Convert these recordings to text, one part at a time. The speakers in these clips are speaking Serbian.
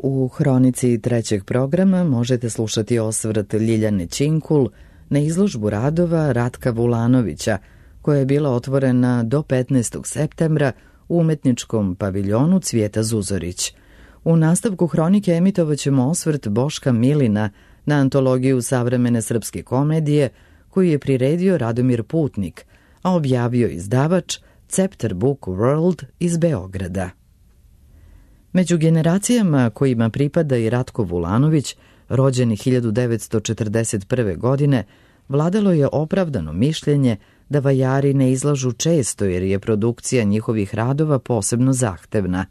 U hronici trećeg programa možete slušati osvrt Ljiljane Činkul na izložbu radova Ratka Vulanovića, koja je bila otvorena do 15. septembra u umetničkom paviljonu Cvijeta Zuzorić. U nastavku hronike emitovaćemo osvrt Boška Milina na antologiju savremene srpske komedije koju je priredio Radomir Putnik, a objavio izdavač Cepter Book World iz Beograda. Među generacijama kojima pripada i Ratko Vulanović, rođeni 1941. godine, vladalo je opravdano mišljenje da vajari ne izlažu često jer je produkcija njihovih radova posebno zahtevna.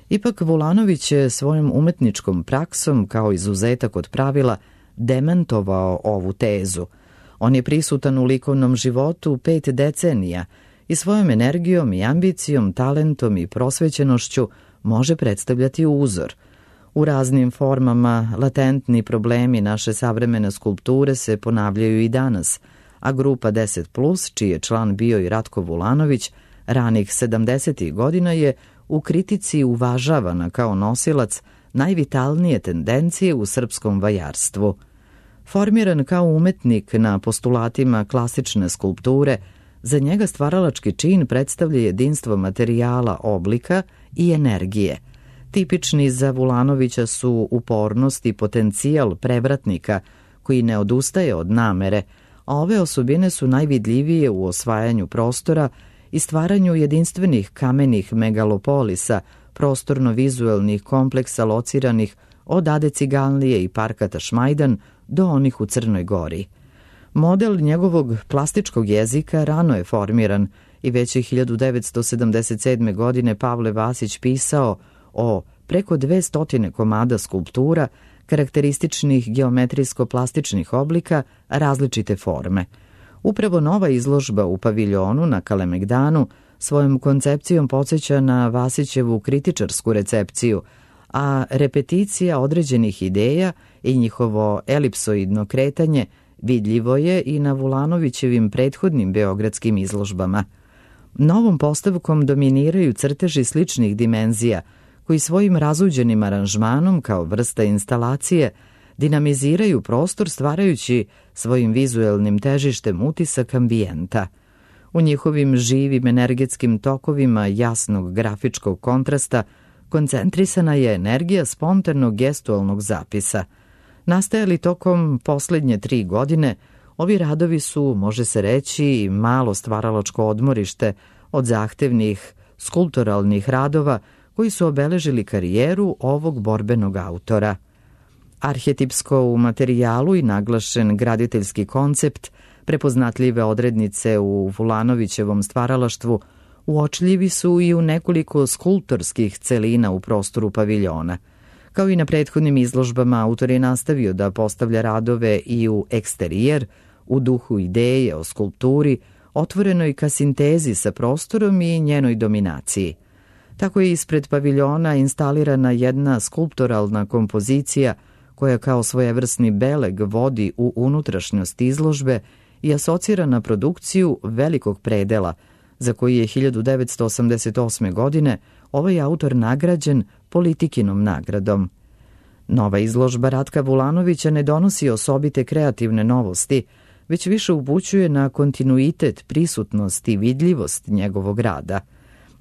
Ipak Vulanović je svojom umetničkom praksom kao izuzetak od pravila demantovao ovu tezu. On je prisutan u likovnom životu 5 decenija i svojom energijom i ambicijom, talentom i prosvećenošću može predstavljati uzor. U raznim formama latentni problemi naše savremene skulpture se ponavljaju i danas, a grupa 10+, čiji je član bio i Ratko Vulanović, ranih 70. godina je u kritici uvažavana kao nosilac najvitalnije tendencije u srpskom vajarstvu. Formiran kao umetnik na postulatima klasične skulpture, za njega stvaralački čin predstavlja jedinstvo materijala, oblika i energije. Tipični za Vulanovića su upornost i potencijal prevratnika koji ne odustaje od namere, a ove osobine su najvidljivije u osvajanju prostora i stvaranju jedinstvenih kamenih megalopolisa, prostorno-vizuelnih kompleksa lociranih od Ade Ciganlije i parka Tašmajdan do onih u Crnoj Gori. Model njegovog plastičkog jezika rano je formiran i već je 1977. godine Pavle Vasić pisao o preko 200 komada skulptura karakterističnih geometrijsko-plastičnih oblika različite forme. Upravo nova izložba u paviljonu na Kalemegdanu svojom koncepcijom podsjeća na Vasićevu kritičarsku recepciju, a repeticija određenih ideja i njihovo elipsoidno kretanje vidljivo je i na Vulanovićevim prethodnim beogradskim izložbama. Novom postavkom dominiraju crteži sličnih dimenzija, koji svojim razuđenim aranžmanom kao vrsta instalacije dinamiziraju prostor stvarajući svojim vizuelnim težištem utisak ambijenta. U njihovim živim energetskim tokovima jasnog grafičkog kontrasta koncentrisana je energija spontanog gestualnog zapisa. Nastajali tokom poslednje 3 godine, ovi radovi su, može se reći, malo stvaralačko odmorište od zahtevnih skulpturalnih radova koji su obeležili karijeru ovog borbenog autora. Arhetipsko u materijalu i naglašen graditeljski koncept, prepoznatljive odrednice u Vulanovićevom stvaralaštvu, uočljivi su i u nekoliko skulptorskih celina u prostoru paviljona. Kao i na prethodnim izložbama, autor je nastavio da postavlja radove i u eksterijer, u duhu ideje o skulpturi, otvorenoj ka sintezi sa prostorom i njenoj dominaciji. Tako je ispred paviljona instalirana jedna skulpturalna kompozicija koja kao svojevrsni beleg vodi u unutrašnjost izložbe i asocira na produkciju velikog predela, za koji je 1988. godine ovaj autor nagrađen Politikinom nagradom. Nova izložba Ratka Vulanovića ne donosi osobite kreativne novosti, već više upućuje na kontinuitet, prisutnost i vidljivost njegovog rada.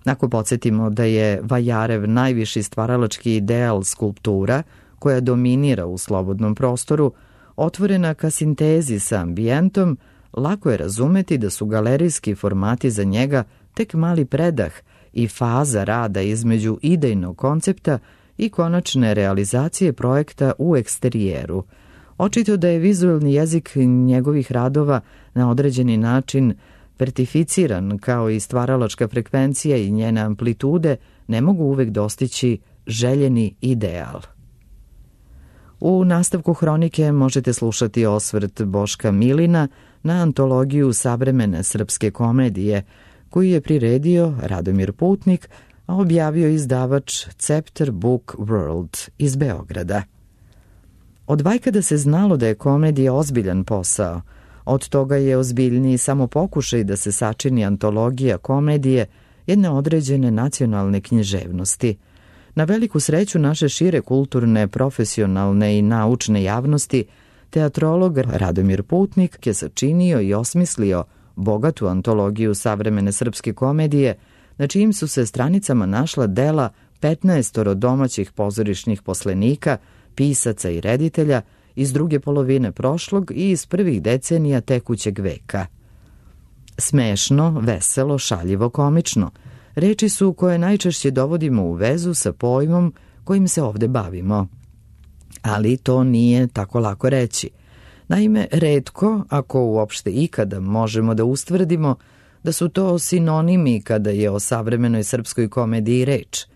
Ako podsjetimo da je Vajarev najviši stvaralački ideal skulptura, koja dominira u slobodnom prostoru, otvorena ka sintezi sa ambijentom, lako je razumeti da su galerijski formati za njega tek mali predah i faza rada između idejnog koncepta i konačne realizacije projekta u eksterijeru. Očito da je vizuelni jezik njegovih radova na određeni način vertificiran, kao i stvaralačka frekvencija i njene amplitude ne mogu uvek dostići željeni ideal. U nastavku hronike možete slušati osvrt Boška Milina na antologiju savremene srpske komedije, koju je priredio Radomir Putnik, a objavio izdavač Cepter Book World iz Beograda. Od vajkada se znalo da je komedija ozbiljan posao. Od toga je ozbiljniji samo pokušaj da se sačini antologija komedije jedne određene nacionalne književnosti. Na veliku sreću naše šire kulturne, profesionalne i naučne javnosti, teatrolog Radomir Putnik je sačinio i osmislio bogatu antologiju savremene srpske komedije, na čijim su se stranicama našla dela 15 domaćih pozorišnih poslenika, pisaca i reditelja iz druge polovine prošlog i iz prvih decenija tekućeg veka. Smešno, veselo, šaljivo, komično. Reči su koje najčešće dovodimo u vezu sa pojmom kojim se ovde bavimo. Ali to nije tako lako reći. Naime, retko, ako uopšte ikada, možemo da ustvrdimo da su to sinonimi kada je o savremenoj srpskoj komediji reč.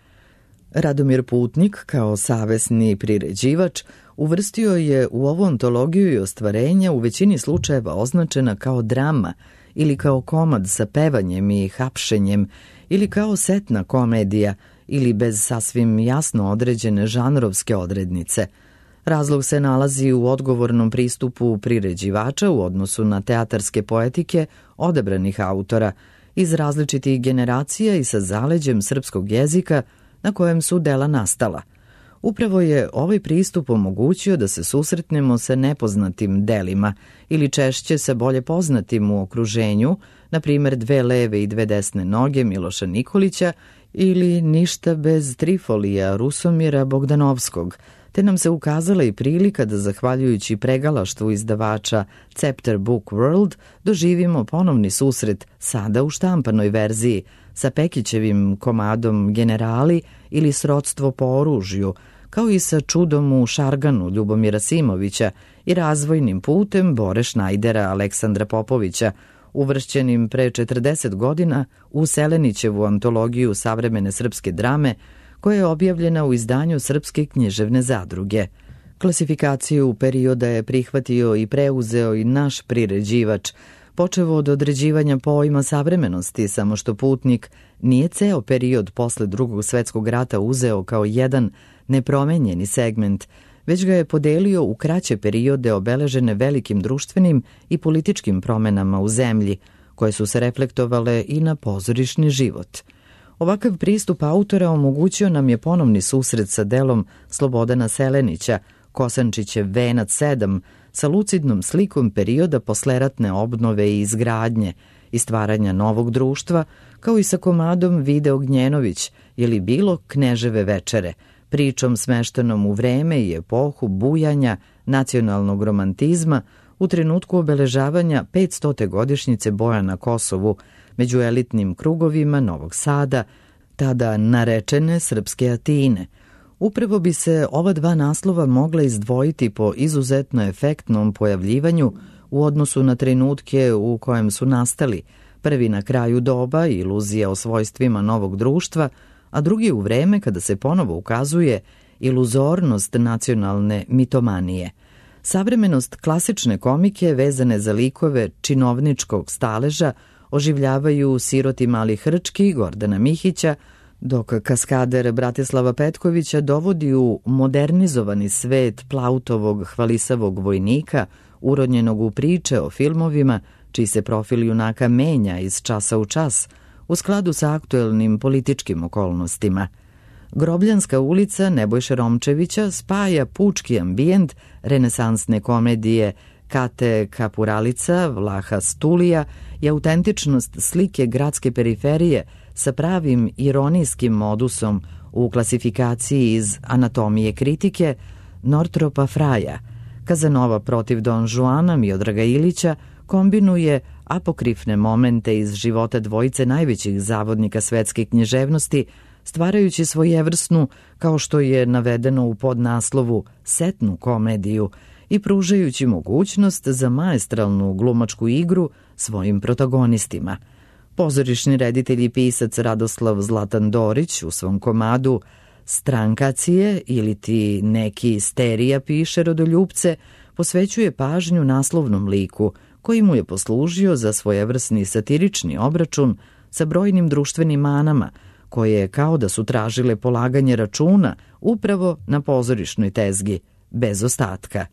Radomir Putnik, kao savesni priređivač, uvrstio je u ovu antologiju i ostvarenja u većini slučajeva označena kao drama ili kao komad sa pevanjem i hapšenjem ili kao setna komedija ili bez sasvim jasno određene žanrovske odrednice. Razlog se nalazi u odgovornom pristupu priređivača u odnosu na teatarske poetike odabranih autora iz različitih generacija i sa zaleđem srpskog jezika na kojem su dela nastala. Upravo je ovaj pristup omogućio da se susretnemo sa nepoznatim delima ili češće sa bolje poznatim u okruženju, na primjer Dve leve i dve desne noge Miloša Nikolića ili Ništa bez Trifolija Rusomira Bogdanovskog, te nam se ukazala i prilika da, zahvaljujući pregalaštvu izdavača Cepter Book World, doživimo ponovni susret sada u štampanoj verziji sa Pekićevim komadom Generali ili Srodstvo po oružju, kao i sa Čudom u Šarganu Ljubomira Simovića i Razvojnim putem Bore Šnajdera Aleksandra Popovića, uvršćenim pre 40 godina u Selenićevu antologiju savremene srpske drame, koja je objavljena u izdanju Srpske književne zadruge. Klasifikaciju perioda je prihvatio i preuzeo i naš priređivač, počevo od određivanja pojma savremenosti, samo što Putnik nije ceo period posle Drugog svetskog rata uzeo kao jedan nepromenjeni segment, već ga je podelio u kraće periode obeležene velikim društvenim i političkim promenama u zemlji, koje su se reflektovale i na pozorišni život. Ovakav pristup autora omogućio nam je ponovni susret sa delom Slobodana Selenića, Kosančićev Venac 7, sa lucidnom slikom perioda posleratne obnove i izgradnje i stvaranja novog društva, kao i sa komadom Vide Ognjenović ili bilo Kneževe večere, pričom smeštenom u vreme i epohu bujanja nacionalnog romantizma u trenutku obeležavanja 500. godišnjice boja na Kosovu među elitnim krugovima Novog Sada, tada narečene srpske Atine. Upravo bi se ova dva naslova mogla izdvojiti po izuzetno efektnom pojavljivanju u odnosu na trenutke u kojem su nastali, prvi na kraju doba, iluzija o svojstvima novog društva, a drugi u vreme kada se ponovo ukazuje iluzornost nacionalne mitomanije. Savremenost klasične komike vezane za likove činovničkog staleža oživljavaju Siroti mali Hrčki Gordana Mihića, dok kaskader Bratislava Petkovića dovodi u modernizovani svet Plautovog hvalisavog vojnika, urodnjenog u priče o filmovima, čiji se profil junaka menja iz časa u čas, u skladu sa aktuelnim političkim okolnostima. Grobljanska ulica Nebojše Romčevića spaja pučki ambijent renesansne komedije Kate Kapuralica, Vlaha Stulija i autentičnost slike gradske periferije sa pravim ironijskim modusom u klasifikaciji iz Anatomije kritike Nortropa Fraja. Kazanova protiv Don Juana Miodraga Ilića kombinuje apokrifne momente iz života dvojice najvećih zavodnika svetske književnosti, stvarajući svojevrsnu, kao što je navedeno u podnaslovu, setnu komediju i pružajući mogućnost za maestralnu glumačku igru svojim protagonistima. Pozorišni reditelj i pisac Radoslav Zlatan Dorić u svom komadu Strankacije ili ti neki sterija piše rodoljupce posvećuje pažnju naslovnom liku koji mu je poslužio za svojevrsni satirični obračun sa brojnim društvenim manama koje kao da su tražile polaganje računa upravo na pozorišnoj tezgi, bez ostatka.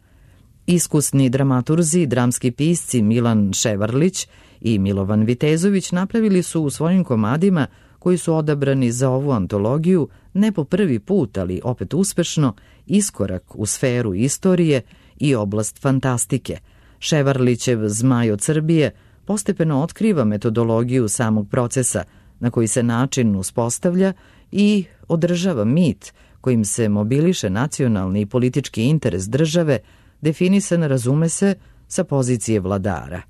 Iskusni dramaturzi i dramski pisci Milan Ševarlić i Milovan Vitezović napravili su u svojim komadima koji su odabrani za ovu antologiju ne po prvi put, ali opet uspešno, iskorak u sferu istorije i oblast fantastike. Ševarlićev Zmaj od Srbije postepeno otkriva metodologiju samog procesa, na koji se način uspostavlja i održava mit kojim se mobiliše nacionalni i politički interes države, definisan, razume se, sa pozicije vladara.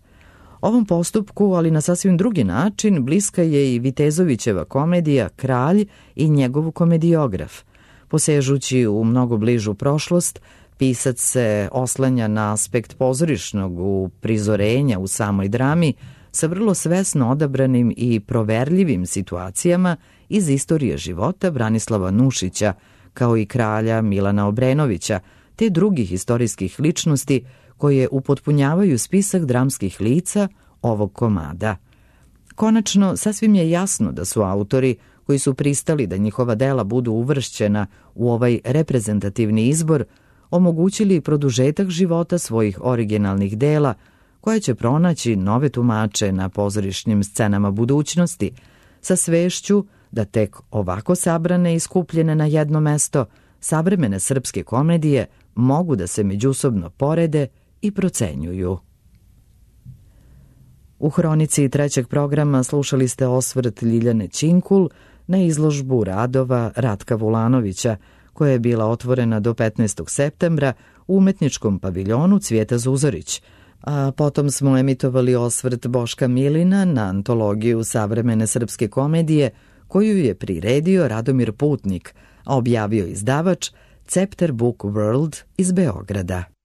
Ovom postupku, ali na sasvim drugi način, bliska je i Vitezovićeva komedija Kralj i njegov komediograf. Posežući u mnogo bližu prošlost, pisac se oslanja na aspekt pozorišnog uprizorenja u samoj drami sa vrlo svesno odabranim i proverljivim situacijama iz istorije života Branislava Nušića, kao i kralja Milana Obrenovića, te drugih istorijskih ličnosti koje upotpunjavaju spisak dramskih lica ovog komada. Konačno, sasvim je jasno da su autori koji su pristali da njihova dela budu uvršćena u ovaj reprezentativni izbor omogućili produžetak života svojih originalnih dela, koje će pronaći nove tumače na pozorišnim scenama budućnosti, sa svešću da tek ovako sabrane i skupljene na jedno mesto savremene srpske komedije mogu da se međusobno porede i procenjuju. U hronici trećeg programa slušali ste osvrt Ljiljane Činkul na izložbu radova Ratka Vulanovića, koja je bila otvorena do 15. septembra u umetničkom paviljonu Cvijeta Zuzorić, a potom smo emitovali osvrt Boška Milina na antologiju savremene srpske komedije, koju je priredio Radomir Putnik, a objavio izdavač Cepter Book World iz Beograda.